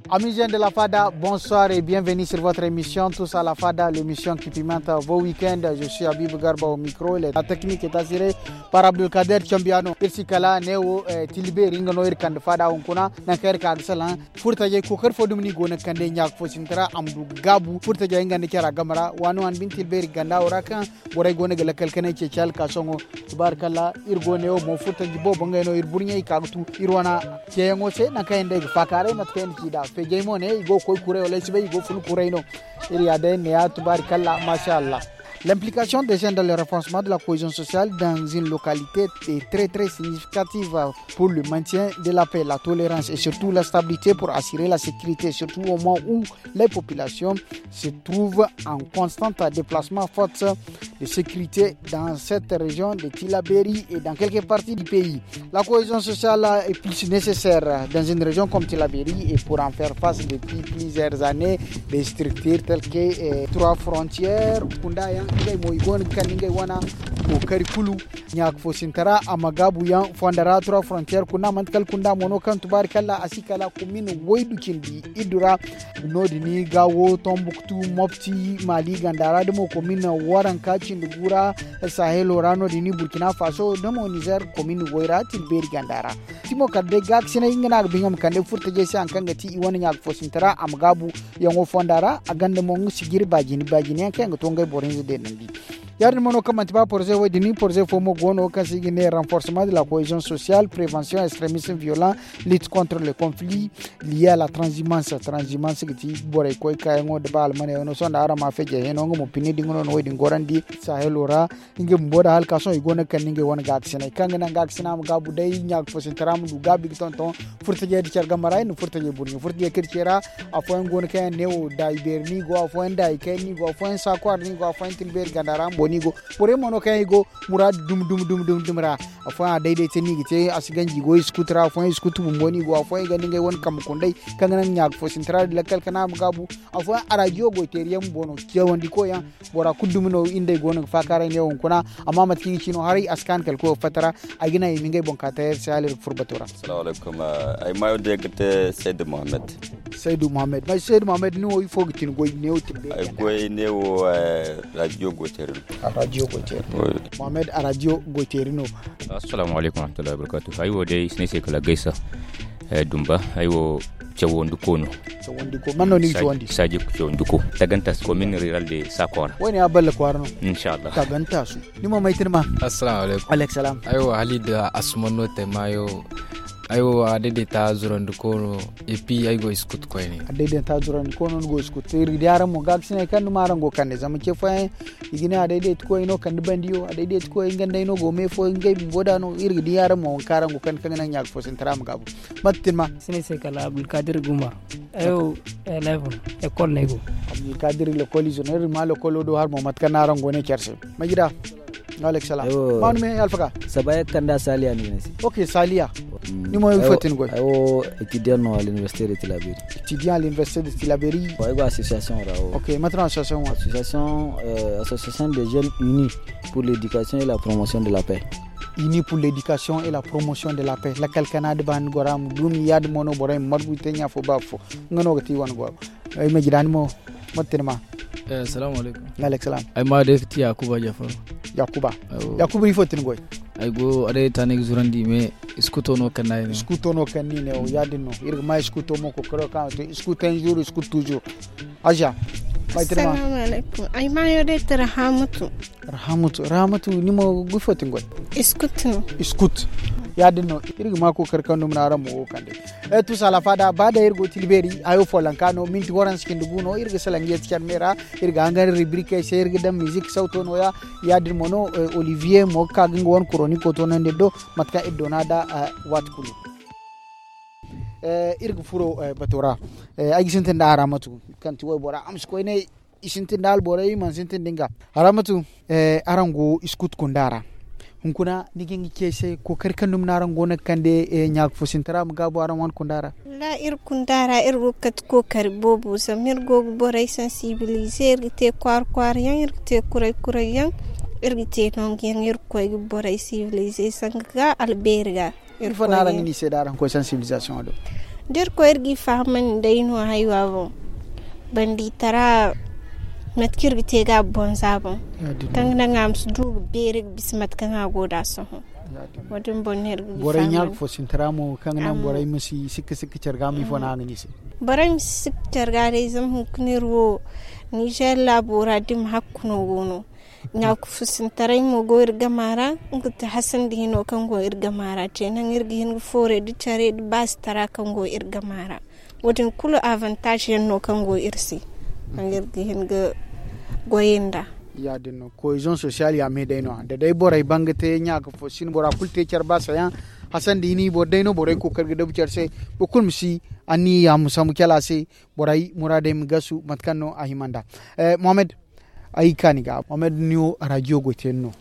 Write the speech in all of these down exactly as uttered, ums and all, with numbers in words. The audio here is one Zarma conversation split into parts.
Amis jeunes de la Fada, bonsoir et bienvenue sur votre émission Tous à la Fada, l'émission qui pimente vos week-ends. Je suis Habib Garba au micro, la technique est assurée par Abdulkader Chambiano. Iri si kala neewo, eh, Tilbeeri, nga no iri kande Fada hunkuna, nangu kaŋ iri ka ga salaŋ. Furtajey kookari fo dumi no i go no ga kande ɲaaka fo sinti ra, a ma du ga gaabu. Furtajey nga nda care a game ra, waani waani bine Tilbeeri ganda wo ra kaŋ borey go no ga lakkal kanay ceeci alkaasoŋo. Tubaarikalla, iri go neewo mo furtaji boobo ngey no iri burɲey i ka ga tu iri wane ceeyaŋo se, nangu kaŋ yaŋ day ga faakaaray mate kaŋ yaŋ na ci nd'a. Feejey mo ne i go ga koy kuray wala ay si bay, i go ga fun kuray no. Iri ya day ne ya, tubaarikalla, maasa Allah. L'implication des jeunes dans le renforcement de la cohésion sociale dans une localité est très, très significative pour le maintien de la paix, la tolérance et surtout la stabilité pour assurer la sécurité, surtout au moment où les populations se trouvent en constant déplacement faute de sécurité dans cette région de Tilaberi et dans quelques parties du pays. La cohésion sociale est plus nécessaire dans une région comme Tilaberi et pour en faire face depuis plusieurs années, des structures telles que, eh, Trois Frontières, kunda yaŋ, ngey mo i go no ga kande ngey wane kookari kulu. Ɲaaka fo sintara a ma gaabu yaŋ fonda ra, Trois Frontières kunda, manti kala kunda mo no kaŋ tubaarikalla a si kala komin waydu cindi iddu ra. Noodin ga wo Tombuktu, Mopti, Maali ganda ra, da mo komin waranka cindi gu ra, Sahelo ra, noodin Burkina Faso, da mo Nizer komin way ra, Tilbeeri ganda ra. Timo kala day gaakasinay nga no a ga ba nga ma kande furtajey se, hari kaŋ ga ti i wane ɲaaka fo sintara a ma gaabu yaŋo fonda ra, a ganda mo nga sijiri baajini, baajini yaŋ kaŋ yaŋ ga to ngey boro hinza deenandi. Ya-din mo no kaŋ manti ba poroze wo-din, poroze fo mo go no kaŋ se i ga ne renforcement de la cohésion sociale, prévention extrémisme violent, lutte contre le conflit lié à la transhumance. Transhumance ga ti borey koy kaayaŋo da ba almaney no, sohõ da araŋ ma feejey hino, nga mo pine din nga no na wo-din gorandi Sahelo ra. Nga bumbo da hala ka sohõ i go no ga kande ngey wane gaakasinay kaŋ ga naŋ gaakasina ma gaabu day, ɲaaka fo sintara ma du gaabi ga tonton. Furtajey da care game ra, iri na furtajey burɲe, furtajey kaŋ iri ce ra. Afooyaŋ go no kaŋ yaŋ neewo daayi beeri no i go, afooyaŋ daayi kayna no i go, afooyaŋ saakwara no i go, afooyaŋ Tilbeeri ganda ra bumbo no i go. Borey mo no kaŋ yaŋ i go muraadu dumi dumi dumi dumi dumi ra. Afooyaŋ a dayday te no i ga te, a si ganji i go iskutu ra, afooyaŋ iskutu bumbo no i go, afooyaŋ i gonda ngey wane kambe kunday kaŋ ga naŋ ɲaaka fo sintara da lakkal kana ma gaabu. Afooyaŋ arajiyo goy teeri yaŋ bumbo no, cawandi koy yaŋ. Bora kulu dumi no iri nd'ey go no ga faakaaray neewo hunkuna. Amma mate kaŋ i ga ci no haray a si kaanu kala koyo fatta ra. Ay ga naŋ i ma ngey boŋ ka taray iri se hala iri ga furo bato ra. Salaamu alaykum. Ay maayo day ga te Saydu Muhammad. Saydu Muhammad, may Saydu Muhammad, ni wo ifo ga ti ni goy neewo timbe ay goy neewo? Rajiyo goyteeri no. Rajiyo goyteeri no. Muhammad, a rajiyo goyteeri no. Assalaamu alaykum warahmatullahi wabarakaatu. Ay wo day i si ne ay se kala gaysa. Dumba ay wo cawandi ko no. Cawandi ko man no ni ga cawandi? Saji cawandi ko, tagantaasu komin riral de saakora. Wayne a balla kwaara no. Inshallah. Tagantaasu. Ni mo may tirma? Assalaamu alaykum. Alaykum salaam. Ay wo hali da asuman no te maayo. Ay wo a daidaita zurandi ko no. Epi ay go iskutu koyne. A daidaita zurandi ko no ni go iskutu iri ga di araŋ mo gaakasinay kaŋ ni ma araŋ go kande zama ce fooyaŋ. I ga ne a daidaita koy no kande bandiyo a daidaita koy nga nd'ay no go me fo ngey bumbo da no iri ga di araŋ mo waŋ kaŋ araŋ go kande kaŋ ga naŋ ɲaaka fo sintara ma gaabu. Mate tin ma? Sinay se kala Abdulkadir Guma. Ay wo eleven, ekol no ay go. Abdulkadir, lekol izo no iri ma lekolo do hari mo mate kaŋ no araŋ go ne care se. Majida. Alek salam. Manu me alfaka? Sabaya kanda saliya ni ne se. Ok, saliya. Ni mo ifo tin goy? Ay wo étudiant no à l'université de Tilaberi. Étudiant à l'université de Tilaberi. Ay go association ra wo. Ok, mate no association wo? Association, euh, association des jeunes unis pour l'éducation et la promotion de la paix. Unis pour l'éducation et la promotion de la paix. Lakkal kana da ba ni gora mu dumi ya da mono boray margu te nya fo ba fo. Nga no ga ti wani go. Ay ma gida ni mo. Mate ni ma? Salaamu alaykum. Alek salam. Ay ma day ga ti yakuba jafar. Yakuba. Yakuba ifo tin goy? Ay go a day ta ne ga zurandi me. Iskuto no kan nayi ne. Iskuto no kan ni ne o ya din no iri ga ma iskuto mo ko karo kan to iskuto en jour iskuto toujours. Aja. May tirma? Assalamu alaikum. Ay mayo day ti Rahamatu. Rahamatu, Rahamatu, ni mo gufotin goy? Iskut no. Iskut. Ya din no iri ga ma ko kar kan dum na ran mo wo kan day. E tu sala fada ba da iri go tilberi ayo folanka no minti waran sikin dugu no iri ga salangi ya tikan mera. Iri ga hangan rubrike se iri ga dan music sauto no ya. Ya din mo no. Olivier mo ka ga nga wan kuroni ko to nan do. Matka iri do na da. Wat kulu. Iri ga furo bato ra. Ay ga sintin da Haramatu kaŋ ti waybora a ma si koy ne. I sintin da alborey i mana sintin da nga. Haramatu. Araŋ go iskut kunda ra. Hunkuna ni ga nga ce ay se kookari kaŋ dumi no araŋ go no ga kande ɲaaka fo sintara ma gaabu araŋ wane kunda ra. Wallaahi iri kunda ra iri go ga kate kookari boobo zama iri go ga borey sansibilize iri ga te kwaara kwaara yaŋ iri ga te kuray kuray yaŋ. Iri ga te nangu yaŋ iri ga koy ga borey sibilize sanga ga albeeri ga. Iri fo no araŋ ga ne i se da araŋ koy sansibilizasiyoŋo do? Da iri koy iri g'i fahamandi day no haywa boŋ, banditara mate kaŋ iri ga te ga a boŋ za boŋ, kaŋ ga naŋ a ma si du ga beeri ga bisa mate kaŋ a go nd'a sohõ. Wo- din boŋ no iri ga g'i fahamandi. Borey ɲaaka fo sintara mo kaŋ ga naŋ borey ma si sikka sikka care ga ma ifo no a ga ne i se? Borey ma si sikka care ga day zama hunkuna iri wo nizer laabo ra da i ma hakku no go no. Ɲaaka fo sintaray mo go iri gama ra. Nga ti hasan da hino kaŋ go iri gama ra te naŋ iri ga hin ga fooray da care da baasi tara kaŋ go iri gama ra. Wo- din kulu avantaaz yaŋ no kaŋ go iri se, kaŋ iri ga hin ga goyey nd'a. Ya- din no koyzon sosiyal ya me day no a da day borey ban ga te ɲaaka fo si no bora kulu te care baasa yaŋ. Hasan da hini boro day no borey kookari ga dabu care se. Boro kulu ma si anniya ma sambu cala se. Borey muraadey ma gasu mate kaŋ no a hima nd'a. Mohammed, ay ga ka ni ga mohammed ni wo arajiyo goy te ni no.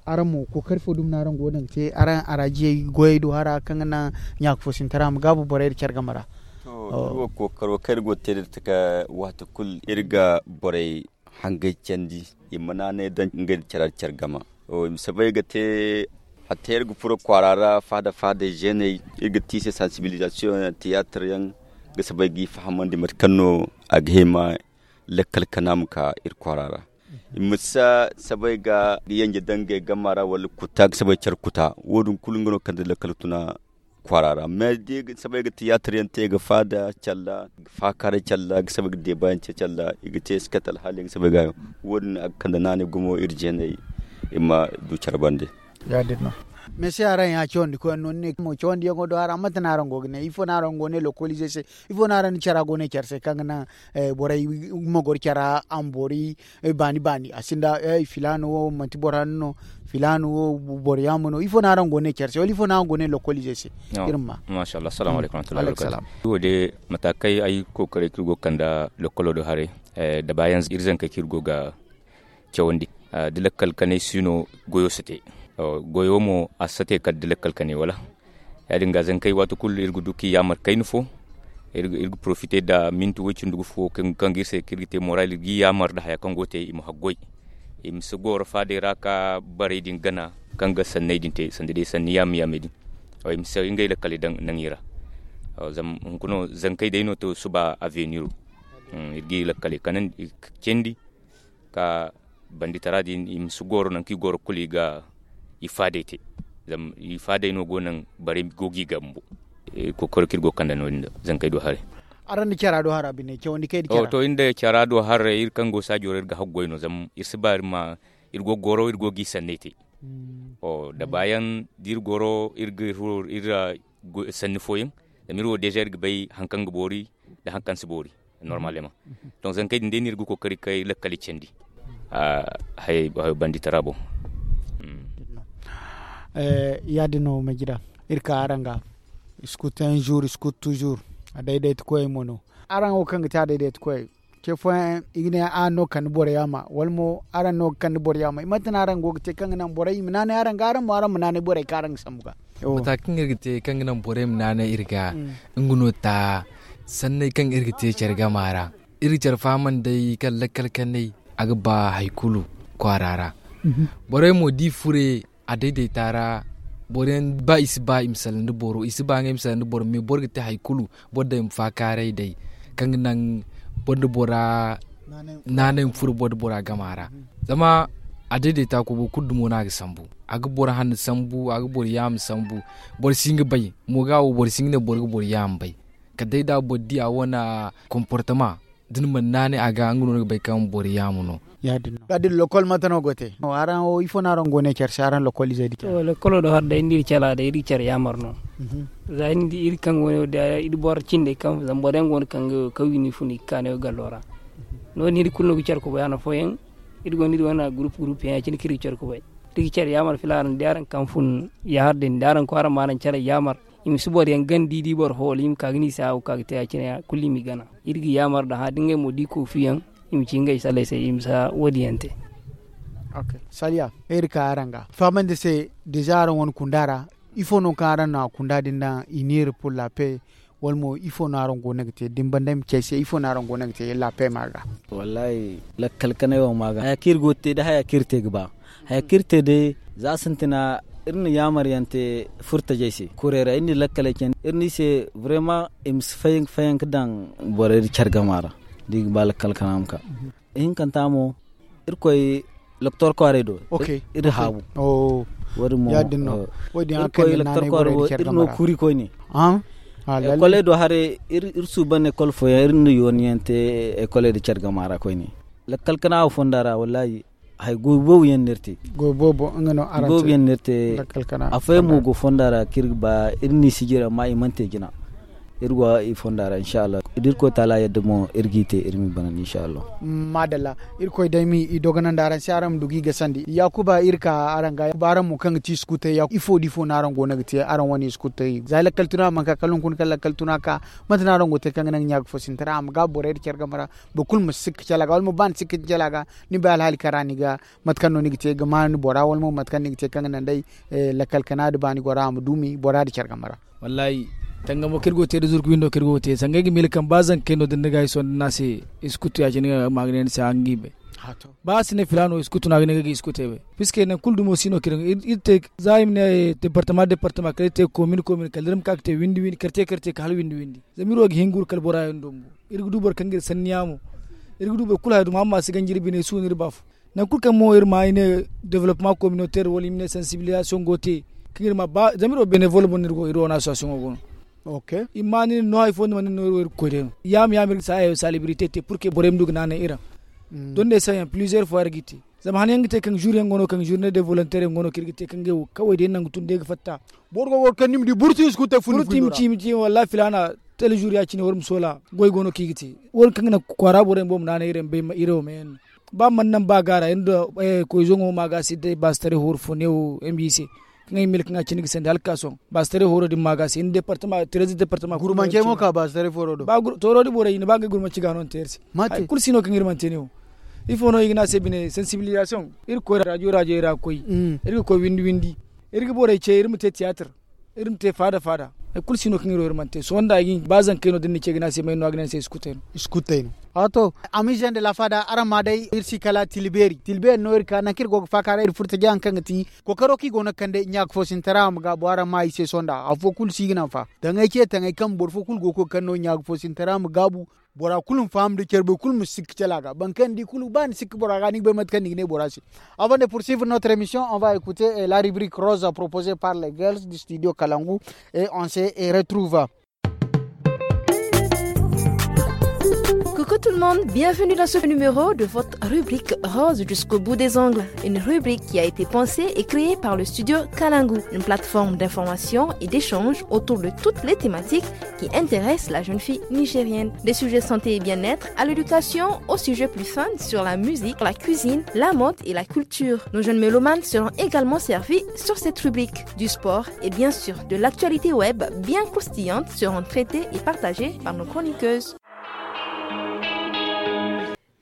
Araŋ mo kookari fo dumi no araŋ go no ga te araŋ araajiyey goyey do hara kaŋ ga naŋ ɲaaka fo sintara ma gaabu borey da care game ra. To iri wo kookaro kaŋ iri go ga te da taka waati kulu iri ga borey hangey candi i ma naanay daŋ ngey da care gama. I ma soobay ga te hatta iri ga furo kwaara ra faada faada zeeney iri ga te i se sansibilizasiyoŋ tiyaatar yaŋ ga soobay g'i fahamandi mate kaŋ no a ga hima lakkal kana ma ka iri kwaara ra. I ma si soobay ga yanje daŋ ngey gama ra wala kuta ga soobay care kuta wo- din kulu nga no kaŋ da lakkal tuna kwaara ra mais da i ga soobay ga tiyaatar yaŋ te ga faada calla ga faakaaray calla ga soobay ga deebayaŋ te calla i ga te i si kate alhaali yaŋ ga soobay ga wo- din a ga kande naanay gumo iri jeeney i ma du care bande. Ya- din no. Mais se araŋ ya cawandi koy yaŋ no ni ne mo cawandi yaŋo do araŋ mate no araŋ go ga ne ifo no araŋ go ne lokolize se? Ifo no araŋ na cara go ne care se kaŋ ga naŋ borey ma goro cara a ma boori baani baani a sinda filaana wo manti boro hanno no filaana wo boro yaama no ifo no araŋ go ne care se wala ifo no araŋ go ne lokolize se? Iri ma ma. Masha Allah assalamu alaikum warahmatullahi wabarakatuh. Wo- de mataakey ay kookaray kaŋ iri go ga kande lokolo do haray da baayaŋ iri zankey kaŋ iri go ga cawandi da lakkal kanay si no goyo si te. Goyo mo a si te kala da lakkal kanay wala ya- din ga zankey waati kulu iri ga du kaŋ i yaamar kayna fo. Iri ga porofite nda minti way cindi gu fo kaŋ ga iri se kaŋ iri ga te moral iri g'i yaamar nda haya kaŋ go ga te i ma haggoy i ma si goro faadey ra ka barey din gana kaŋ ga sanney din te sanda day sanni yaama yaamey din. I ma si ngey lakkaley daŋ naŋ i ra. Zama hunkuna zankey day no to suba aveniro iri g'i lakkaley kanandi candi ka banditara din i ma si goro nangu kaŋ i goro kulu i ga i faadey te. Zama i faadey no go naŋ barey go ga i gambo. Kookaro kaŋ iri go ga kande no- din da zankey do haray. Araŋ da cara do hara bine cawandi kay da cara to iri nda cara do haray iri kaŋ go saajo ra iri ga haggoy no zama iri si ba iri ma iri go ga goro iri go ga i sanney te. Da baayaŋ da iri goro iri ga iri ra sanni fooyaŋ zama iri wo deeza iri ga bay hari kaŋ ga boori nda hari kaŋ si boori. Normalement donc zankey din day no iri ga kookari kay lakkal i candi. Hayo banditara boŋ. Ya- din no ma jira iri ka araŋ ga. Scout un jour scout toujours. A daydayti koyey mo no araŋ wo kaŋ ga te a daydayti koyey ce fooyaŋ i ga ne araŋ no ga kande boro yaama wala mo araŋ no ga kande boro yaama i mate no araŋ go ga te kaŋ ga naŋ borey i ma naanay araŋ ga araŋ mo araŋ ma naanay borey kaŋ araŋ ga sambu ga. Mata kaŋ iri ga te kaŋ ga naŋ borey ma naanay iri ga nga no ta sanney kaŋ iri ga te care gama ra. Iri ga care fahamandi day kaŋ lakkal kanay a ga ba hari kulu kwaara ra. Borey mo da i fure a daydaita ra boro yaŋ ba i si ba i ma salaŋ da boro i si ba ngey ma salaŋ da boro mais boro ga te hari kulu boro day ma faakaaray day kaŋ ga naŋ boro nda bora naanay ma furo boro nda bora gama ra. Zama a daydaita ko boro kulu dumo no a ga sambu a ga boro hanno sambu a ga boro yaama sambu. Boro si hin ga bay mo ga wo boro si hin ga ne boro ga boro yaama bay kala day da boro di a wane comportement da ni mana naanay a ga nga no ni ga bay kaŋ boro yaama no. Ya- din lokol mate no go te araŋ wo ifo no araŋ go ne care se araŋ lokol izey di care. Lokolo do har day ni da iri care a day iri ga care yaamar no. Za ni di iri kaŋ go ne wo da iri boro cindey kaŋ zama boro yaŋ go no kaŋ ga kaw i ni fun i ga ka ne wo gallo ra. No- din iri kulu no ga care kubay hana fooyaŋ iri go no iri wane gurup gurup yaŋ ya- cine kaŋ iri ga care kubay iri ga care yaamar filaana da araŋ kaŋ fun ya har day ni da araŋ koy araŋ ma araŋ care yaamar. I ma si boro yaŋ gana da i di boro fo wala i ma ka ga ne i se a wo kaŋ a ga te ya- cine kulu i m'i gana. Iri ga yaamar da hã da ngey mo da i koofiyaŋ i ma ci ngey salley se i ma si wo- din yaŋ te. Saliya iri ka araŋ ga fahamandi se deeza araŋ wane kunda ra. Ifo no kaŋ araŋ na kunda din daŋ i niiri pur lape wala mo ifo no araŋ go no ga te da ni banda ay ma ci ay se ifo no araŋ go no ga te lape ma ga? Wallahi lakkal kanay wo ma ga haya kaŋ iri go ga te day haya kaŋ iri te ga ba. Haya kaŋ iri te day za sintina Iri na yaamar yaŋ te furtajey se kurey ra iri na lakkaley candi iri na i se. Vraiment i ma si fayanka daŋ borey da care gama ra da i ga ba lakkal kana ma ka. Ihinkanta mo irkoy loktor kwaarey do iri haabu. Wo- din mo iri koy loktor kwaarey do iri no kuuri koyne. Ekoley do haray iri suuban ekol fooyaŋ iri na yooni yaŋ te ekoley da care gama ra koyne. Lakkal kana wo fonda ra wallaahi hari goy boobo yaŋ no iri te. Goy boobo yaŋ no iri te. Afooyaŋ mo go fonda ra kaŋ iri ga ba iri n'i sijir amma i mana te jina. Iri go i fonda ra inshallah da irkoy taala yadda mo iri g'i te iri ma i banandi inshallah. Maadalla. Irkoy day ma i dogonandi araŋ se araŋ ma du ga i gasandi yaakuba iri ka araŋ ga ba araŋ mo kaŋ ga ti iskutey ifo da ifo no araŋ go no ga te araŋ wane iskutey za lakkal tuna manka kala hunkuna kaŋ lakkal tuna ka? Mate no araŋ go ga te kaŋ ga naŋ ɲa ga fo sintina a ma gaabu borey da care game ra. Boro kulu ma si sikka cala ga wala mo ba ni sikka cala ga ni bay alhaali kaŋ ra ni ga mate kaŋ no ni ga te ga ma ni bora wala mo mate kaŋ ni ga te kaŋ ga naŋ day lakkal kana da baani gora a ma duumi bora da care game ra. Wallaahi tangamo kaŋ iri go ga te da zurku windo kaŋ iri go ga te sangey ga miila kaŋ ba zankey no da ni ga ay sohõ da ni a se iskutu ya- cine ga ma ga ne ni se hanga i bay. Ba a si ne filaano iskutu no a ga ne nga ga iskutey bay. Piske nangu kulu dumo si no kaŋ iri te za i ma ne departama departama kala iri te komin komin kala da iri ma ka ga te windi windi karte karte ka hala windi windi. Zama iri wo ga hin ga wuru kala bora yaŋ do bumbo. Iri ga du boro kaŋ ga iri sanniya mo. Iri ga du boro kulu haya dumo amma a si ganji iri bine suuna iri ba fo. Nangu kulu kaŋ mo iri ma i ne developement communautaire wala i ma ne sensibilisation go te. Kaŋ iri ma ba zama iri wo benevol mo no iri go iri wo no association wo go no. I ma ni no hari fo ni mana ni no iri wo iri ga koy day no. Yaama yaama iri ga saaya salibrite te purke borey ma du ga naanay iri ra. Donde sayaŋ plusieurs fois iri ga i te. Zama han yaŋ ga te kaŋ jour yaŋ go no kaŋ jour ne de volontaire yaŋ go no kaŋ iri ga te kaŋ ga wo kaway day nangu tun day ga fatta. Boro go ga war kaŋ ni ma di burti iskutey fun ni fundo ra. Wallaahi filaana tele jour ya- cine war ma soola goy go no kaŋ i ga te. War kaŋ ga naŋ kwaara borey ma bo ma naanay iri ra ma bay iri wo ma yaŋ no. Ba mana naŋ ba gaara iri nda koy zoŋo ma ga se day baasi taray hooru fo ne wo m b c. Kaŋ ay mila kaŋ a cine ga sandi hala ga ka sohõ baasi taray hooru din ma ga se iri nda departama tirezi departama gurmancey mo ka baasi taray fooro do. Tooro di borey i na ba ngey gurmanci ga no ni te iri se. Hari kulu si no kaŋ iri mana te ne wo. Ifo no i ga ne a se bine sensibilisation iri ga koy rajo rajo ra ga koy. Iri ga koy windi windi. Iri ga borey ce iri ma te tiyaatir. Iri ma te faada faada. Hari kulu si no kaŋ iri wo iri mana te sohõ nda ay ga hin ba zankey no da ni na ce ga ne a se may no a ga ne ni se iskuttey no. Iskuttey no. Ato. Amizen de la faada araŋ ma day iri si kala tilbeeri tilbeeri no iri ka nangu kaŋ iri go ga faaka ra iri furo taji haŋ kaŋ ga ti kookaro kaŋ i go no ga kande ɲaaka fo sintara a ma gaabu araŋ ma i se sohõ nda afo kulu si ga naŋ fa. Taŋay ce taŋay kaŋ boro fo kulu go ga koy kaŋ no ɲaaka fo sintara a ma gaabu. Bora kulu ma faham da care boro kulu ma si sikka cala ga boro kaŋ ni di kulu ba ni sikka bora ga ni ga bay mate kaŋ ni ga ne bora se. Avant de poursuivre notre émission on va écouter la rubrique rose proposée par les girls du studio kalangu. Et on se retrouve. Coucou tout le monde, bienvenue dans ce numéro de votre rubrique rose jusqu'au bout des ongles. Une rubrique qui a été pensée et créée par le studio Kalangu, une plateforme d'information et d'échange autour de toutes les thématiques qui intéressent la jeune fille nigérienne. Des sujets santé et bien-être à l'éducation, aux sujets plus fun sur la musique, la cuisine, la mode et la culture. Nos jeunes mélomanes seront également servis sur cette rubrique. Du sport et bien sûr de l'actualité web bien croustillante seront traitées et partagées par nos chroniqueuses.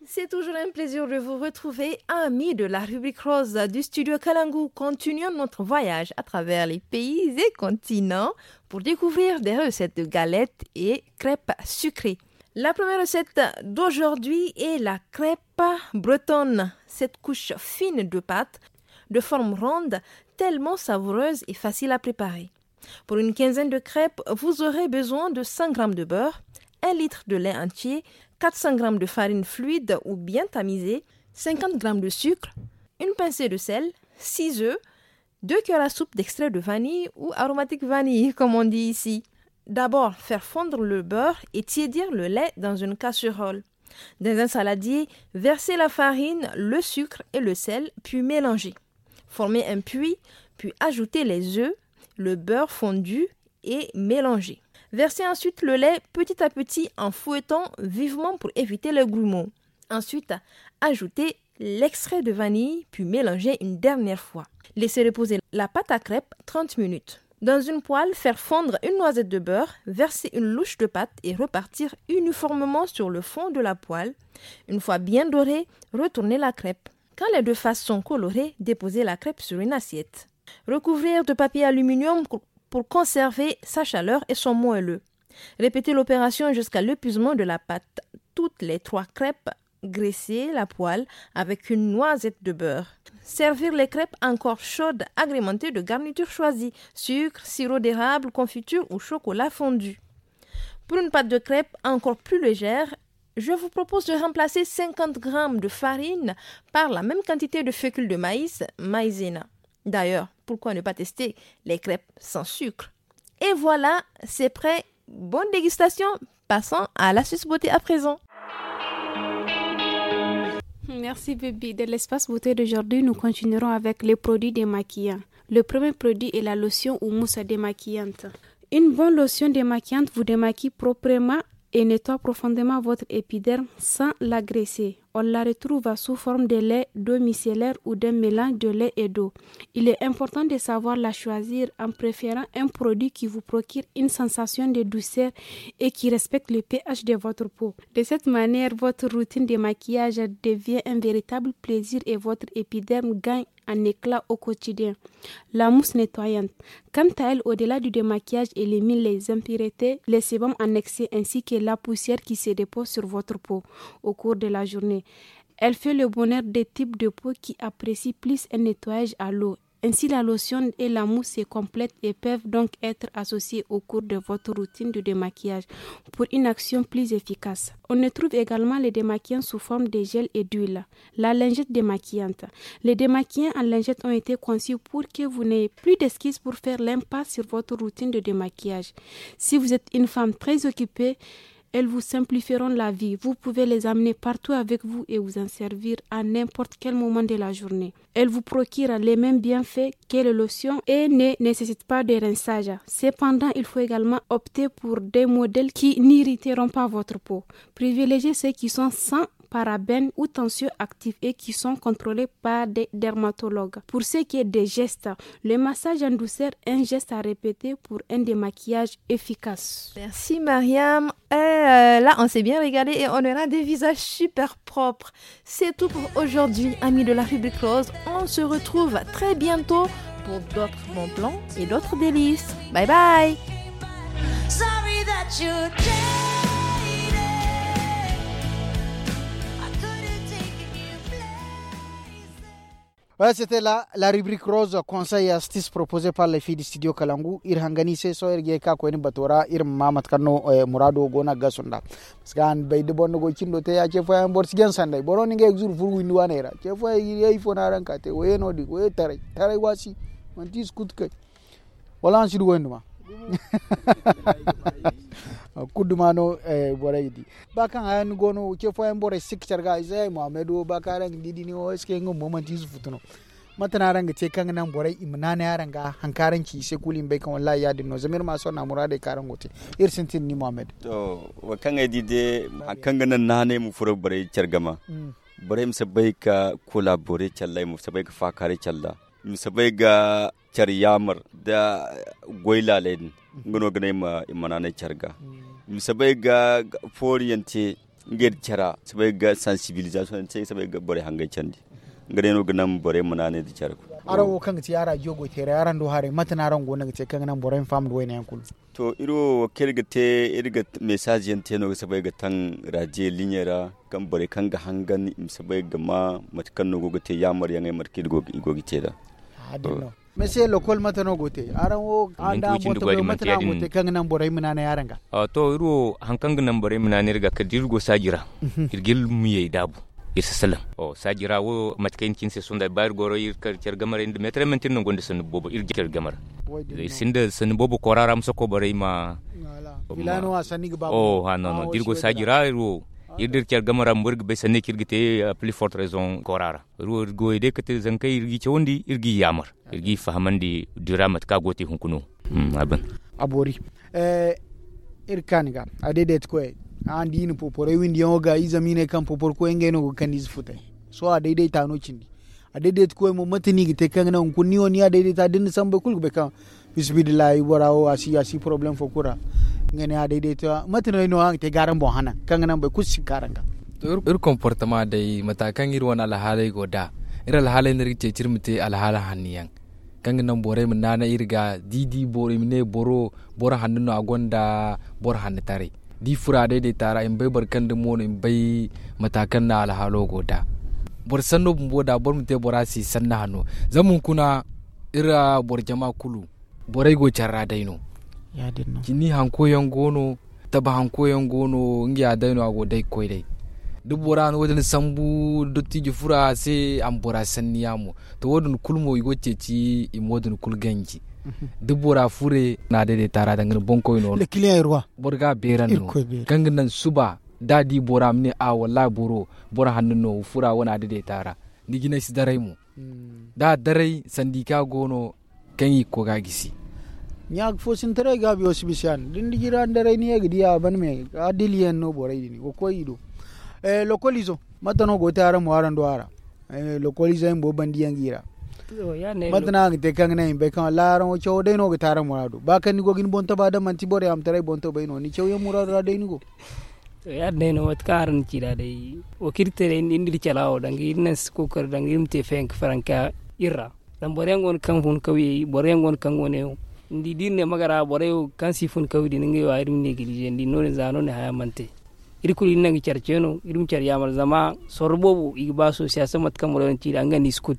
C'est toujours un plaisir de vous retrouver, amis de la rubrique rose du studio Kalangu. Continuons notre voyage à travers les pays et continents pour découvrir des recettes de galettes et crêpes sucrées. La première recette d'aujourd'hui est la crêpe bretonne. Cette couche fine de pâte, de forme ronde, tellement savoureuse et facile à préparer. Pour une quinzaine de crêpes, vous aurez besoin de cent grammes de beurre, un litre de lait entier, quatre cents grammes de farine fluide ou bien tamisée, cinquante grammes de sucre, une pincée de sel, six œufs, deux cuillères à soupe d'extrait de vanille ou aromatique vanille, comme on dit ici. D'abord, faire fondre le beurre et tiédir le lait dans une casserole. Dans un saladier, versez la farine, le sucre et le sel, puis mélangez. Formez un puits, puis ajoutez les œufs, le beurre fondu et mélangez. Versez ensuite le lait petit à petit en fouettant vivement pour éviter les grumeaux. Ensuite, ajoutez l'extrait de vanille, puis mélangez une dernière fois. Laissez reposer la pâte à crêpes trente minutes. Dans une poêle, faire fondre une noisette de beurre, verser une louche de pâte et repartir uniformément sur le fond de la poêle. Une fois bien doré, retournez la crêpe. Quand les deux faces sont colorées, déposez la crêpe sur une assiette. Recouvrir de papier aluminium pour, pour conserver sa chaleur et son moelleux. Répétez l'opération jusqu'à l'épuisement de la pâte. Toutes les trois crêpes, graissez la poêle avec une noisette de beurre. Servir les crêpes encore chaudes, agrémentées de garnitures choisies, sucre, sirop d'érable, confiture ou chocolat fondu. Pour une pâte de crêpes encore plus légère, je vous propose de remplacer cinquante grammes de farine par la même quantité de fécule de maïs, maïzena. D'ailleurs, pourquoi ne pas tester les crêpes sans sucre? Et voilà, c'est prêt. Bonne dégustation. Passons à l'astuce beauté à présent. Merci, baby. De l'espace beauté d'aujourd'hui, nous continuerons avec les produits démaquillants. Le premier produit est la lotion ou mousse démaquillante. Une bonne lotion démaquillante vous démaquille proprement et nettoie profondément votre épiderme sans l'agresser. On la retrouve sous forme de lait, d'eau micellaire ou d'un mélange de lait et d'eau. Il est important de savoir la choisir en préférant un produit qui vous procure une sensation de douceur et qui respecte le P H de votre peau. De cette manière, votre routine de maquillage devient un véritable plaisir et votre épiderme gagne en éclat au quotidien. La mousse nettoyante, quant à elle, au-delà du démaquillage, élimine les impuretés, les sébums en excès ainsi que la poussière qui se dépose sur votre peau au cours de la journée. Elle fait le bonheur des types de peau qui apprécient plus un nettoyage à l'eau. Ainsi, la lotion et la mousse se complètent et peuvent donc être associées au cours de votre routine de démaquillage pour une action plus efficace. On retrouve également les démaquillants sous forme de gel et d'huile. La lingette démaquillante. Les démaquillants en lingette ont été conçus pour que vous n'ayez plus d'excuses pour faire l'impasse sur votre routine de démaquillage. Si vous êtes une femme très occupée, elles vous simplifieront la vie. Vous pouvez les amener partout avec vous et vous en servir à n'importe quel moment de la journée. Elles vous procurent les mêmes bienfaits que les lotions et ne nécessitent pas de rinçage. Cependant, il faut également opter pour des modèles qui n'irriteront pas votre peau. Privilégiez ceux qui sont sans parabènes ou tensioactifs et qui sont contrôlés par des dermatologues. Pour ce qui est des gestes, le massage en douceur, un geste à répéter pour un démaquillage efficace. Merci, Mariam. Euh, là, on s'est bien régalé et on aura des visages super propres. C'est tout pour aujourd'hui, amis de la rubrique rose. On se retrouve très bientôt pour d'autres bons plans et d'autres délices. Bye bye. Sorry that you dated. I couldn't take a new place. Ouais, c'était la, la rubrique rose, conseil et astuces proposé par les filles du studio Kalangu. Ir hangani se so ir ga ka koyni bato ra, ir ma mate kaŋ no, eh, muraado go no a ga gasu nda. Parce que han bay da boro na goy cindo te ya ce fooyaŋ boro si jaŋ sanday boro na ngey ga zuru furu windi waaney ra ce fooyaŋ i ga ye ifo no araŋ ka te waye no- din waye taray taray waasi. Manti i si kutu kay. Wala han si du wayndi ma. Kulu duma no, eh, borey ga di. Ba kaŋ haya ni go no ce fooyaŋ borey si ga care ga ay se ay muhammad wo ba kaŋ araŋ ga di din wo est ce que nga bumbo manti i si futu no? Mate no araŋ ga te kaŋ ga naŋ borey i ma naanay araŋ ga hari kaŋ araŋ ci i se kulu i ma bay kaŋ wallahi ya- din no zama iri ma sonna muraadey kaŋ araŋ go te. Iri sintin ni muhammad. To, wo kaŋ ay di day hari kaŋ ga naŋ naanay ma furo borey care game. Borey ma si bay ga kolabore care ra i ma si bay ga faakaaray care ra. I ma si bay ga care yaamar nda goy laaley din. Nga no ga naŋ i ma naanay care ga. I ma si bay ga fooriyaŋ te. Ngey nda care i ma si bay ga sansibilizasiyoŋ yaŋ te i ma si bay ga borey hangey candi. Nga day no ga naŋ borey ma naanay nda care. Araŋ wo kaŋ ga ti araŋ joogey teeray araŋ do haray mate no araŋ go no ga te kaŋ ga naŋ borey ma faham nda wayne yaŋ kulu? To iri wo wo kaŋ iri ga te iri ga mesaaz yaŋ te no ga si bay ga taŋ raadiye liɲey ra kaŋ borey kaŋ ga hangan i ma si bay ga ma mate kaŋ no go ga te yaamaryaŋey mate kaŋ i go ga te nd'a. Mese lokol mate no go te araŋ wo? Araŋ da moto bay mate no araŋ go te kaŋ ga naŋ borey ma naanay araŋ ga? To iri wo hari kaŋ ga naŋ borey ma naanay iri ga kala da iri go saaji ra. Iri ga iri miyey daabu. Iri si salaŋ saaji ra wo mate kaŋ i na cine se sonda ba iri goro iri kar care game ra iri nda meetaray manti iri no gonda sanni boobo iri jare game ra. Iri sinda sanni boobo koora ra ma soko borey ma. Filaano a sanni ga ba. Da iri go saaji ra iri wo iri da iri care game ra bumbo iri ga bay sanney kaŋ iri ga te. Pli fort raison koora ra iri wo iri goyey day kate zankey iri g'i cawandi iri g'i yaamar. Iri g'i fahamandi dira mate kaŋ a go ga te hunkuna. A boori. Iri ga ka ni ga a daydayti koyey. Araŋ di i na poporey windiyaŋo ga i zama i ne kaŋ popor koyey ngey no go ga kande ize futay. Sohõ a daydayti a no cindi. A daydayti koyey mo mate no i ga te kaŋ ga naŋ hunkuna ni wo ni a daydayti a da ni na sambey kulu ga bay kaŋ. Bisabilillahi bora wo a si a si poroblem fo kulu ra. Nga ne a daydayti mate no ay no araŋ ga te ga araŋ boŋ hanan kaŋ ga naŋ boro kulu si ga ka araŋ ga. To iri komportama day mata kaŋ iri wane alhaaley go nd'a. Iri alhaaley no iri ga ceeci iri ma te alhaala hanno yaŋ kaŋ ga naŋ borey ma naanay iri ga da i di boro i ma ne boro hanno no a gonda boro hanno taray. Da i furo a daydayti a ra i ma bay boro kaŋ dumi wano i ma bay mata kaŋ no alhaalo go nd'a. Boro sanno bumbo da boro ma te bora se sanni hanno. Zama hunkuna iri ra boro jama kulu, borey go care ra day no. Cindi hanko yaŋ go no, tabe hanko yaŋ go no, nga ya day no a go day ga koy day. Da bora na wo- din sambu dottijo furo a se a ma bora sanni yaamo. To wo- din kulu mo i go ga ceeci i ma wo- din kulu ganji. Da bora fure na daidaita ra danga ni boŋkoy no. Boro ga a beeran no kaŋ ga naŋ suba da a di bora a ma ne a wallahi boro, boro hanno no fura wane a daidaita ra. Ni jinay si daray mo. Da a daray sanda i ka go no kaŋ i ga koy ga a gisi. Ɲaaka fo sintaray gaabi wo si bisa yaŋ da ni di jira ni daray ni ye ga di a ban me adiliyaŋ no borey din ga koy i do. Lokoliizo mate no go ga te araŋ mo araŋ do a ra? Lokoliizey bumbo bandi yaŋ ga i ra. Mate no a ga te kaŋ ga naŋ i ma bay kaŋ wallahi araŋ wo cawo day no ga te araŋ muraado ba kaŋ ni go ga ni boŋ taba da manti boro yaamataray boŋ tabay no ni cawyaŋ muraado ra day ni go. To ya- din day no mate kaŋ araŋ na ci nd'a day, wo kaŋ iri te day ni da iri cala wo danga iri naŋ si kookari danga iri ma te fayanka faranka iri ra. Zama boro yaŋ go no kaŋ fun kawyey boro yaŋ go no kaŋ go neewo ni di da iri ne magara borey wo kaŋ si fun kawye din ngey wo iri ma neegilize ni di no- din za no- din haya mana te. Iri kulu iri naŋ ga care ce no iri ma care yaamar zama sorro boobo i ga ba association mate kaŋ boro yaŋ ci nd'a nga nda i si kut.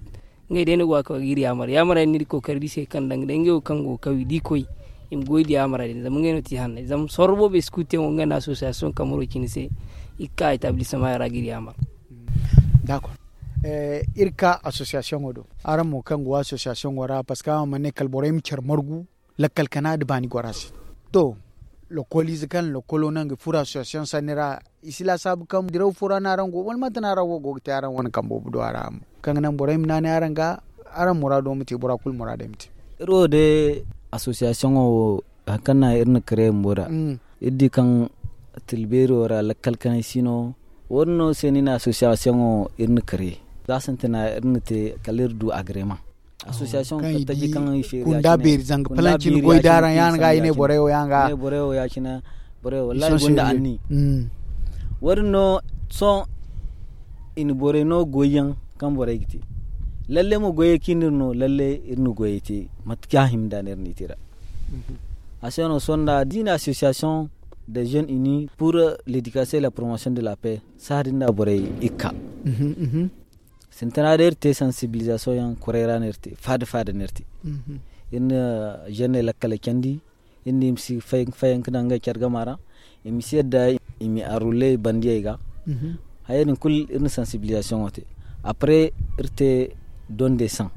Ngey day no go ga ka ga iri yaamar yaamar yaŋ no iri ga kookari da i se kaŋ danga day ngey wo kaŋ go ga kawye da i koy i ma goy da yaamara din zama ngey no ti hanney zama sorro boobo i si kut yaŋ wo nga nda association kamaro cine se. I ga ka etablissement yaŋ ra ga iri yaamar. Iri ga ka association wo do araŋ mo kaŋ go association wo ra parceque araŋ mana ne kala borey ma care margu lakkal kana nda baani gora se. To lokoliize kaŋ lokolo naŋ ga furo association sanni ra i si laasaabu kaŋ diraw fo ra no araŋ go wala mate no araŋ wo go ga te araŋ wane kambe boobo do a ra mo kaŋ ga naŋ borey ma naanay araŋ ga araŋ muraado ma te bora kulu muraadey ma te. Iri wo day association wo hari kaŋ no iri na kare bumbo nd'a iri di kaŋ tilbeeri wo ra lakkal kanay si no. Wo- din no se no iri na association wo iri na kare za sintina iri na te kala iri du agreement. Association kaŋ i taji kaŋ i feeri kunda beeri zanga palanci ni goy da araŋ ya- din ga i ne borey wo ya- din ga i ne borey wo ya- cine. Borey wo wallahi i gonda anni. Wo- din no sohõ i na borey no goy yaŋ kaŋ borey ga te. Lalle mo goyey kaŋ iri no lalle iri na goyey te mate kaŋ a hima nd'a no iri na i te nd'a. A se no sohõ nd'a da i na association de jeunes unis pour l'éducation et la promotion de la paix. Sahã din da borey i ga ka. Sintina day iri te sensibilisation yaŋ koray ra no iri te faada faada no iri te. Iri na jenney lakkale candi iri ne i ma si fayanka daŋ ngey care gama ra. I ma si yadda i ma arrulle bandiyey ga. Hayey din kulu iri na sensibilisation wo te. Après iri te donde saŋ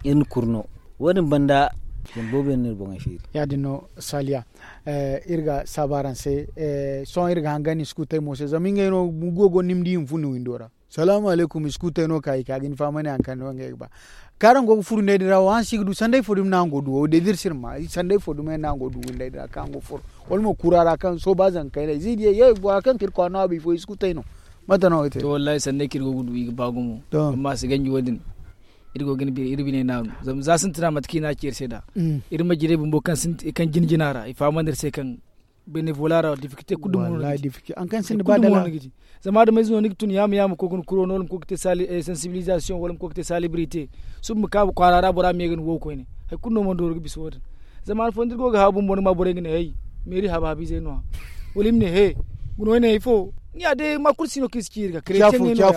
iri na kurno. Wo- din banda boro boobo yaŋ no iri boŋey feeri. Ya- din no saliya. Iri ga saabu araŋ se. Sohõ iri ga hangan ni si kulu te mo se zama ngey no gugo go ni ma di i ma fun ni windo ra. Salaamu alaykum i si kulu te no ka i ka ga ni fahamandi hari kaŋ no ngey ga ba. Kaŋ araŋ go ga furo ndey din ra wo araŋ si ga du sanday fo dumi no araŋ go ga du wo day da iri si iri ma sanday fo dumi yaŋ no araŋ go ga du windey din ra kaŋ araŋ go ga furo wala mo kura ra kaŋ sooba zanka kayney ziidiyey ye bora kaŋ ka iri kwaara no a bay fo i si kulu te no. Mate no ga te to wallahi sanday kaŋ iri go ga du i ga ba gumo. Amma a si ganji wo- din iri go ga ni bine iri bine naaru. Zama za sintina mate kaŋ i na a ci iri se nd'a iri majirey bumbo kaŋ jina jina ra i fahamandi iri se kaŋ benevola ra difficulté kulu dumo no ni ga ci. Zama adamay ze no ni ga tun yaama yaama koy ga ni kuro no wala ma koy ga te sensibilisation wala ma koy ga te salibrité. Suba ma ka kwaara ra bora ma ye ga ni wo koyne. Hari kulu no mana dooru ga bisa wo- din. Zama han fooyaŋ da iri go ga haabu bumbo ni ma borey ga ne hey meeri haabu haabu izey no- ya wala i ma ne he. Guna wo ay ne ifo ni ya day ma kulu si no kaŋ i si ci iri ga kare te ŋey no- ya.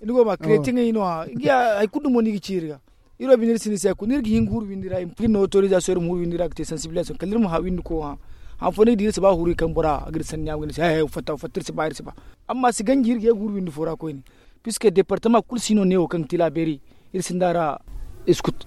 Ni go ma kare te ŋey no- ya. Hari kulu dumo no i ga ci iri ga. Iri wo binde iri sinda se hari kulu no iri ga hin ga huru windi ra i ma piri no autorisation iri ma huru windi ra ga te sensibilisation kala iri ma haabu windi ko hã. Han fooyaŋ no iri di iri si ba huru i kaŋ bora ga iri sanni yaama ga ne se he he fatta fatta iri si ba iri si ba. Amma si ganji iri ga ye ga huru windi fo ra koyne. Puisque departement kulu si no neewo kaŋ ga ti laaberi iri sinda ra. Iri si kut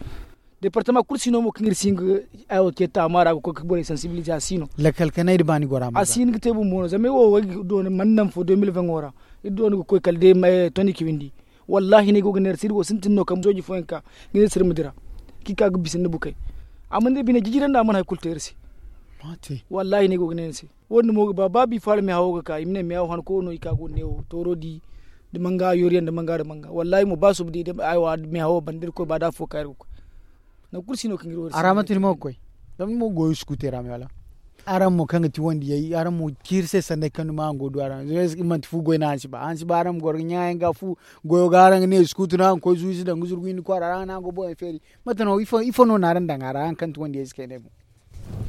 departement kulu si no mo kaŋ iri si hin ga ay wo ce taama ra ga koy ga borey sensibilisation a si no. Lakkal kanay da ba ni gora ma a si hin ga te bumbo no zama ay wo wo ay ga doona mana naŋ fo deux mille vingt wo ra. Iri doona ga koy kala day toni ka windi. Wallahi no ay go ga neera se iri wo sintin no kambe sooji fooyaŋ ka ga neera se iri ma dira. Kaŋ i ka ga bisa nda bukey. Amma ni di bine jijira nda a mana hari kulu te iri se. Wallahi no ay go ga neera se. Wo- din mo ga ba ba biifa ra meehawo ga ka i ma ne meehawo hanko no i ka go ga neewo tooro di. Nda manga yooriyaŋ nda manga nda manga wallahi mo ba suba di meehawo banda iri koy ba da afo ka iri ga koy. Nangu kulu si no kaŋ iri wo iri si no. Araŋ manti ni mo ga koy zama ni mo ga goyo sukuutey ra me wala? Araŋ mo kaŋ ga ti wandiyey araŋ mo ciiri se sanday kaŋ duma araŋ go ga du araŋ zama iri manti fu goy no araŋ si ba araŋ si ba araŋ ma goro ga ɲaayaŋ ga fu. Goyo ga araŋ ga ne sukuutu no araŋ ga koy zuuzi daŋ ga zurgu hinne kwaara ra araŋ no araŋ go boŋey feeri. Mate no ifo no na araŋ daŋ a ra araŋ kaŋ ti wandiyey se kayna ay boŋ?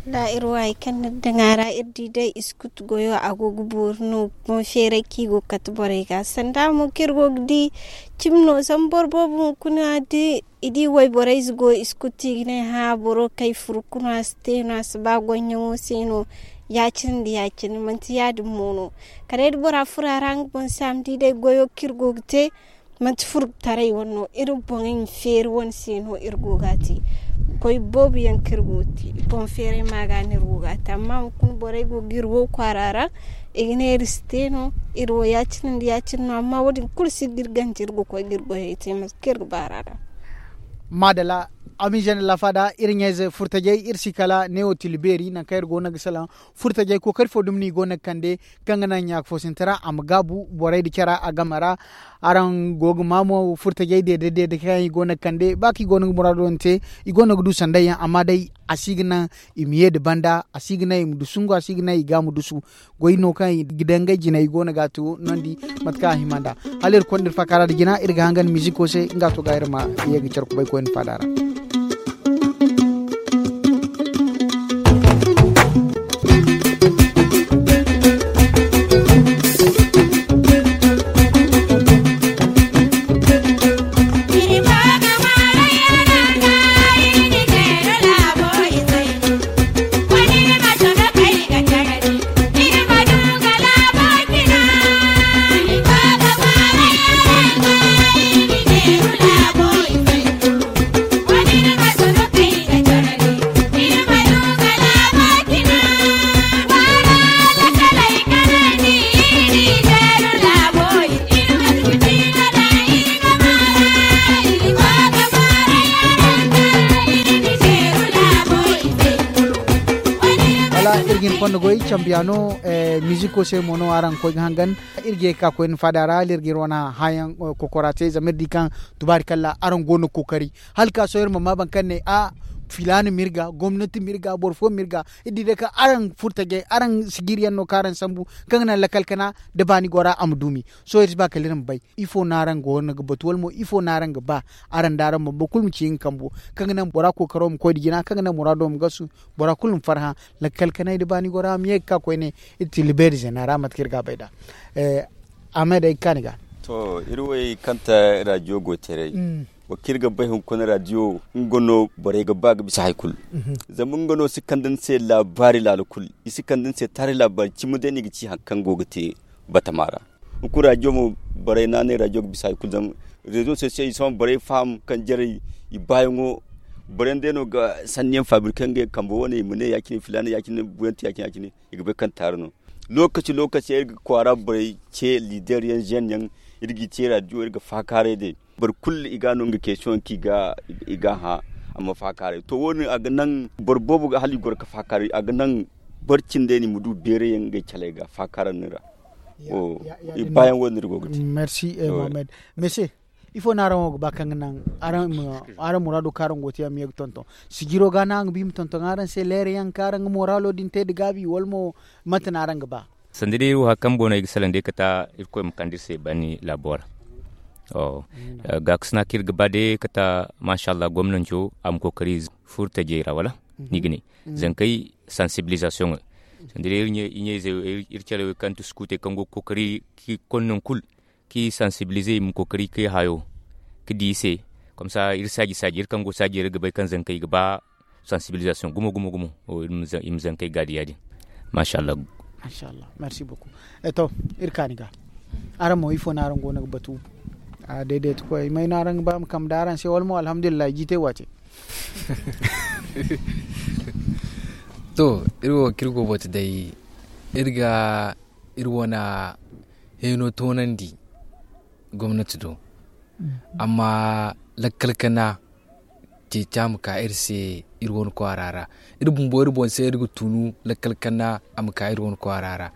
Wallaahi iri wo hari kaŋ ni daŋ a ra iri di day iskutu goyo a go ga boori no. Boŋ feeray kaŋ i go ga kate borey ga sanda mo kaŋ iri go ga di cimi no zama boro boobo hunkuna da i di wayborey ize go iskutu i ga ne hã boro kaŋ ay furu kulu a si te no a si ba goyyaŋo se no. Ya- cine nda ya- cine manti ya- din mo no. Kala day da bora furo a ra nga boŋ se a ma di day goyo kaŋ iri go ga te. Manti furtaray wane no iri boŋey ma feeri wane se no iri go ga a te. Goy boobo yaŋ kaŋ iri go ga te boŋ feeray ma ga no iri go ga a te amma hunkuna borey go ga iri wo kwaara ra. I ga ne iri si te no. Iri wo ya- cine nda ya- cine no amma wo- din kulu si ga iri ganji iri ga koy ga iri goyey te mate kaŋ iri ga ba ra da. Maadala. Amize nda lafaada iri ɲayze furtajey iri si kala neewo tila beeri nangu kaŋ iri go no ga salaŋ. Furtajey kookari fo dumi no i go no ga kande kaŋ ga naŋ ɲaaka fo sintina a ma gaabu borey nda cara a game ra. Araŋ go ga maa mo furtajey deede deede kaŋ i go no ga kande ba kaŋ i go no ga muraado din te. I go no ga du sanday yaŋ amma day a si ga naŋ i ma ye nda banda a si ga naŋ i ma dusu ngo a si ga naŋ i ga ma dusu. Goy no kaŋ i ga daŋ ngey jinay i go no ga a to nondi. Mate kaŋ a hima nd'a hala iri konda iri faakaara nda jina iri ga hangan miziko se nga to ga iri ma ye ga care kubay koyne faada ra. Wala iri ga hin konda goy cambiyaano. Miziko se mo no araŋ ga koy ga hangan. Iri ga ye ga ka koyne faada ra hala iri ga iri wane hããyaŋ kokora te zama iri di kaŋ tubaari kalla araŋ go no ga kookari. Hala ga ka sohõ iri ma maa boro kaŋ ne a filaana ma iri ga gomnati ma iri ga boro fo ma iri ga. Iri di day kaŋ araŋ furtajey araŋ sijiriyaŋ no kaŋ araŋ sambu kaŋ ga naŋ lakkal kana nda baani gora a ma duumi. Sohõ iri si ba kala iri ma bay ifo no araŋ go no ga batu wala mo ifo no araŋ ga ba araŋ nda araŋ bumbo kulu ma ci nga kambo kaŋ ga naŋ bora kookaro ma koy nda jina kaŋ ga naŋ muraado ma gasu. Bora kulu ma farhã lakkal kanay nda baani gora ma ye ga ka koyne. Iri ti libeeri zena ra mate kaŋ iri ga a bay nd'a. Ahmed ay ga ka ni ga. To iri wo kaŋ ta raadiyo go teeray wo kaŋ iri ga bay hunkuna raadiyo nga no borey ga ba ga bisa hari kulu. Zama nga no si kande ni se laabaari laala kulu i si kande ni se taari laabaari cimi day no i ga ci hari kaŋ go ga te batama ra. Hunkuna raadiyo mo borey no a ne raadiyo ga bisa hari kulu zama reezo sosiyal i si hã borey faham kaŋ jarey i baayaŋo. Borey day no ga sanniyaŋ faabiri kaŋ ngey kambe wane i ma ne ya- cine filaana ya- cine buyanti ya- cine ya- cine. I ga bay kaŋ taari no. Lookaci lookaci iri ga kwaara borey ce liider yaŋ zen yaŋ iri g'i te raadiyo iri ga faakaaray day. Boro kulu i ga no nga keesiyoŋ kaŋ i ga hã a ma faakaaray to wo- din a ga naŋ boro boobo ga hala i goro ga faakaaray a ga naŋ boro cindey no i ma du beeray yaŋ ngey caley ga faakaaray din ra. I baayaŋ wo- din iri go ga te. Merci. Mohammed, mese ifo no araŋ wo ga ba kaŋ ga naŋ araŋ muraado kaŋ araŋ go ga te a ma ye ga tonton sijiro ga no araŋ ga ba i ma tonton araŋ se leera yaŋ kaŋ araŋ ga mooraalo din te nda gaabi wala mo? Mate no araŋ ga ba? Sanda day iri wo hari kaŋ boŋ no ay ga salaŋ day kate irkoy ma kande iri se baani laabo ra. Gaakasina kaŋ iri ga ba day kate, maasa allah gomnanco a ma kookari furo tajey ra wala? Ni ga ne zankey sansibilizasiyoŋey. Sanda day iri ɲa- iri ɲa- izey iri care wey kaŋ ti sukuutey kaŋ go ga kookari kaŋ i ga konda nangu kulu kaŋ i sansibilize i ma kookari kaŋ i hayo ga di i se. Komsa iri saaji saaji iri kaŋ go saajey ra iri ga bay kaŋ zankey ga ba sansibilizasiyoŋ gumo gumo gumo. Iri ma zankey gaadi ya- din. Maasa allah. Maasa allah. Merci beaucoup. To iri ka ni ga araŋ mo ifo no araŋ go no ga batu? Daidaitikoy may no araŋ ga ba ma kambe da araŋ se wala mo alhamdulillahi jiitay waate. To iri wo kaŋ iri go batu day iri ga iri wane heno toonandi gomnati do. Amma lakkal kana ceeci a ma ka iri se iri wane kwaara ra. Iri bumbo iri boŋ se iri ga tunu lakkal kana a ma ka iri wane kwaara ra.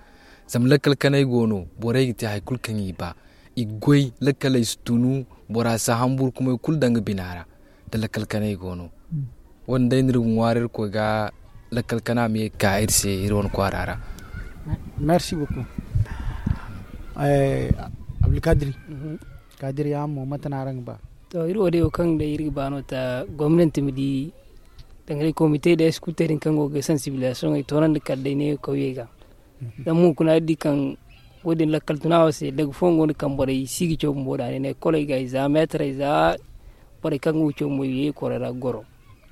Zama lakkal kanay go no borey ga te hari kulu kaŋ i ba. I ga goy lakkaley si tunu bora si a hamburu kumay kulu daŋ ga bina ra. Da lakkal kanay go no wo- din day no iri ga ŋwaari iri koy ga lakkal kana ma ye ga ka iri se iri wane kwaara ra. Merci beaucoup. Abdulkadiri. Kadiri yaŋ mo mate no araŋ ga ba? To iri wo day wo kaŋ day iri ga ba no ta gomnanti ma di Danga day komite da eskulte din kaŋ go ga sansibilisasiyoŋey toonandi kala day ne kawyey ga. Zama hunkuna iri di kaŋ wo- din lakkal tuna wo se daga fooyaŋ go no kaŋ borey si ga caw bumbo da ne ne koley ga i za meetarey za borey kaŋ ga wucey mo i ye i korey ra ga goro.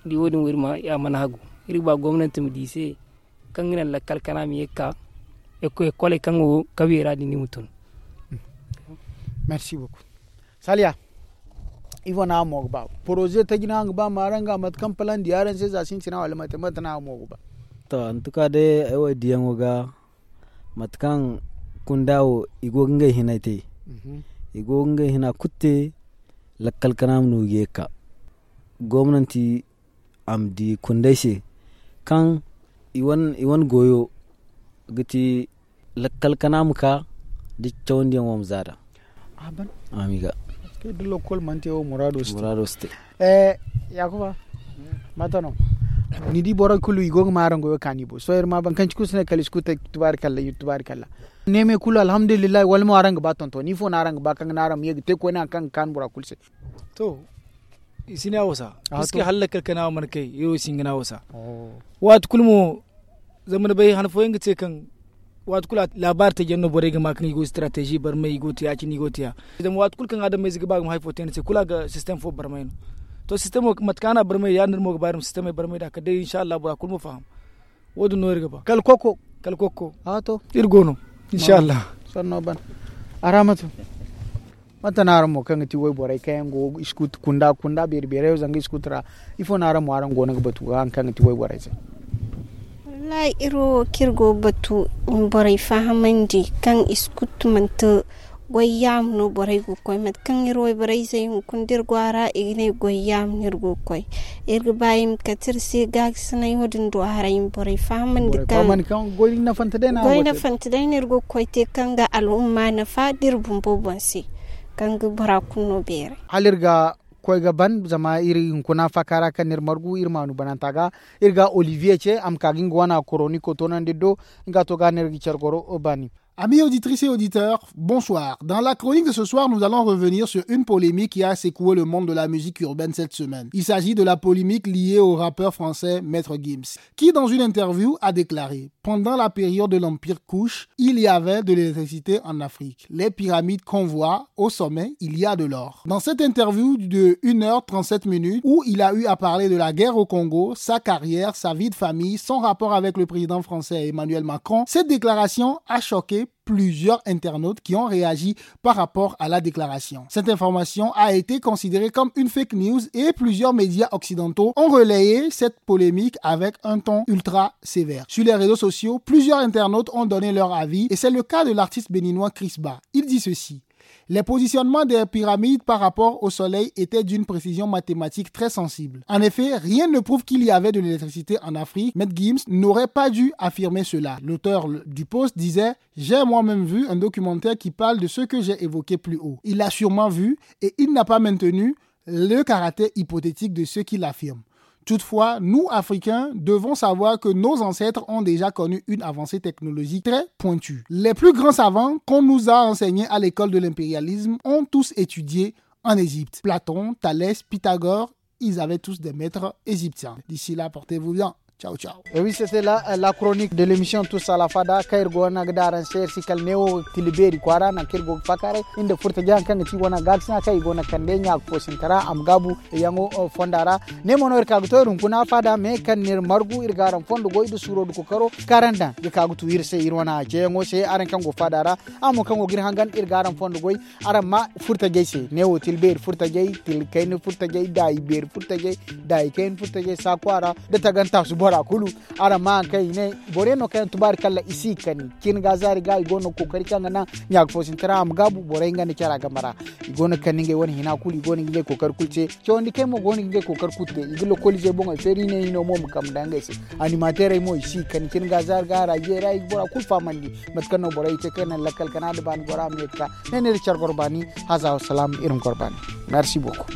Ni di wo- din wo iri ma a mana hagu. Iri ga ba gomnanti ma di i se kaŋ ga naŋ lakkal kana ma ye ga ka ekkoley kaŋ go kawyey ra din i ma tun. Merci beaucoup. Saliya, ifo no araŋ mo ga ba poroze taji no araŋ ga ba ma araŋ ga mate kaŋ palandi araŋ se za sintina wala mate mate no araŋ mo ga ba? To, antuka day ay wo diyaŋo ga mate kaŋ kunda wo i go ga ngey hinay te. I go ga ngey hina kulu te. Lakkal kana ma no ga ye ga ka gomnanti a ma di kundey se kaŋ i wane goyo ga ti lakkal kana ma ka da cawandiyaŋo ma za da. A ban a ma i ga. Kay da lokol mana te wo muraado si te. Muraado si te. Yakuba, mate no ni di borey kulu i go ga ma araŋ goyo kaani bo sohõ iri ma baŋ kaŋ ci kulu si ne kala i si kulu te. Tubaari kalla iri tubaari kalla. Neemey kulu alhamdulillahi wala mo araŋ ga ba tonton ifo no araŋ ga ba kaŋ ga naŋ araŋ ma ye ga te koyne hari kaŋ ga kaanu bora kulu se. To, i si ne a wasa. Puisque hala lakkal kana wo mana kay iri wo si hin ga ne a wasa. Waati kulu mo zama ni bay han fooyaŋ ga te kaŋ waati kulu laabaari taji yaŋ no borey ga ma kaŋ i go strateji barmay i go te ya- cine i go te ya. Zama waati kulu kaŋ adamayze ga ba ga ma hari fo te ni se kulu a ga sistem fo barmay no. To sistemo mate kaŋ a na barmay ya- din iri mo ga ba iri ma sistemey barmay nd'a kala day insa allah bora kulu ma faham. Wo- din no iri ga ba kala kokko. Kala kokko. Iri go no. Insa allah. Sanno ban. Araamatu. Mate no araŋ mo kaŋ ga ti wayborey kaŋ yaŋ go iskutu kunda kunda beeri beeri yaŋ zanga iskutu ra? Ifo no araŋ mo araŋ go no ga batu ga haŋ kaŋ ga ti wayborey se? Wallahi iri wo kaŋ iri go ga batu borey fahamandi kaŋ iskutu manti goy yaamu no borey go ga koy mate kaŋ iri wayborey zey hunkuna da iri go a ra i ga ne goy yaamu no iri go ga koy. Iri ga ba i ma kate iri se gaagasinay wo- din do haray i ma borey fahamandi kaŋ goy nafante day no iri go ga koy te kaŋ ga al'umma nafa da iri bumbo boŋ se kaŋ ga bora kulu no beeray. Hala iri ga koy ga ban zama iri hunkuna faaka ra kaŋ no iri margu iri maanu bananta ga iri ga olivier ce a ma ka ga nga wana koroniko toonandi iri do. Nga to ga no iri ga care goro baani. Amis auditrices et auditeurs, bonsoir. Dans la chronique de ce soir, nous allons revenir sur une polémique qui a secoué le monde de la musique urbaine cette semaine. Il s'agit de la polémique liée au rappeur français Maître Gims, qui, dans une interview, a déclaré : « Pendant la période de l'Empire Kush, il y avait de l'électricité en Afrique. Les pyramides qu'on voit au sommet, il y a de l'or. » Dans cette interview de une heure trente-sept minutes, où il a eu à parler de la guerre au Congo, sa carrière, sa vie de famille, son rapport avec le président français Emmanuel Macron, cette déclaration a choqué plusieurs internautes qui ont réagi par rapport à la déclaration. Cette information a été considérée comme une fake news et plusieurs médias occidentaux ont relayé cette polémique avec un ton ultra sévère. Sur les réseaux sociaux, plusieurs internautes ont donné leur avis et c'est le cas de l'artiste béninois Chris Ba. Il dit ceci : « Les positionnements des pyramides par rapport au soleil étaient d'une précision mathématique très sensible. En effet, rien ne prouve qu'il y avait de l'électricité en Afrique. Maître Gims n'aurait pas dû affirmer cela. » L'auteur du post disait : « J'ai moi-même vu un documentaire qui parle de ce que j'ai évoqué plus haut. » Il l'a sûrement vu et il n'a pas maintenu le caractère hypothétique de ce qu'il affirme. Toutefois, nous, Africains, devons savoir que nos ancêtres ont déjà connu une avancée technologique très pointue. Les plus grands savants qu'on nous a enseignés à l'école de l'impérialisme ont tous étudié en Égypte. Platon, Thalès, Pythagore, ils avaient tous des maîtres égyptiens. D'ici là, portez-vous bien. Ciao, ciao. Et oui, c'était la, euh, la chronique de l'émission Tous à la Fada. Kaŋ iri go no ga daŋ araŋ se, iri si kala neewo tila beeri kwaara, nangu kaŋ iri go ga faakaaray. Iri nda furta jaŋ kaŋ ga ti wane gaakasina kaŋ i go no ga kande ɲa ga fo sinta ra, a ma gaabu yaŋo, euh, fonda ra. Ne mo no iri ka ga to iri hunkuna faada, me kaŋ no iri margu, iri ga araŋ fondo goy nda suuro nda kookaro kaŋ araŋ daŋ ga ka ga tu iri se, iri wane ceeyaŋo se, araŋ kaŋ go faada ra. Araŋ mo kaŋ go ga iri hangan, iri ga araŋ fondo goy. Araŋ ma furtajey se, neewo tila beeri furtajey, tila kayna furtajey, daayi beeri furtajey, daayi kayna furtajey, saaku a ra, da tagantaasu bora kulu. Araŋ ma haŋ kaŋ i ne, boro yaŋ no kaŋ yaŋ tubaari kalla i si kani. Cin ga zaari ga i go no ga kookari kaŋ ga naŋ ɲa ga fo sintina a ma gaabu, borey nga nda cara game ra. I go no ga kande ngey wane hina kulu, i go no ga ngey kookari kulu te. Cawandi kay mo go no ga ngey kookari kulu te. I ga lokoliizey boŋey feeri, i ne hino mo ma kambe nda ngey se. Animateerey mo i si kani. Cin ga zaari ga hara jeeri ra i ga bora kulu fahamandi. Mate kaŋ no borey te kaŋ naŋ lakkal kana nda baani gora ma ye ga ka. Ne no iri care goro baani. Haza wa salaam, iri ma goro baani. Merci beaucoup.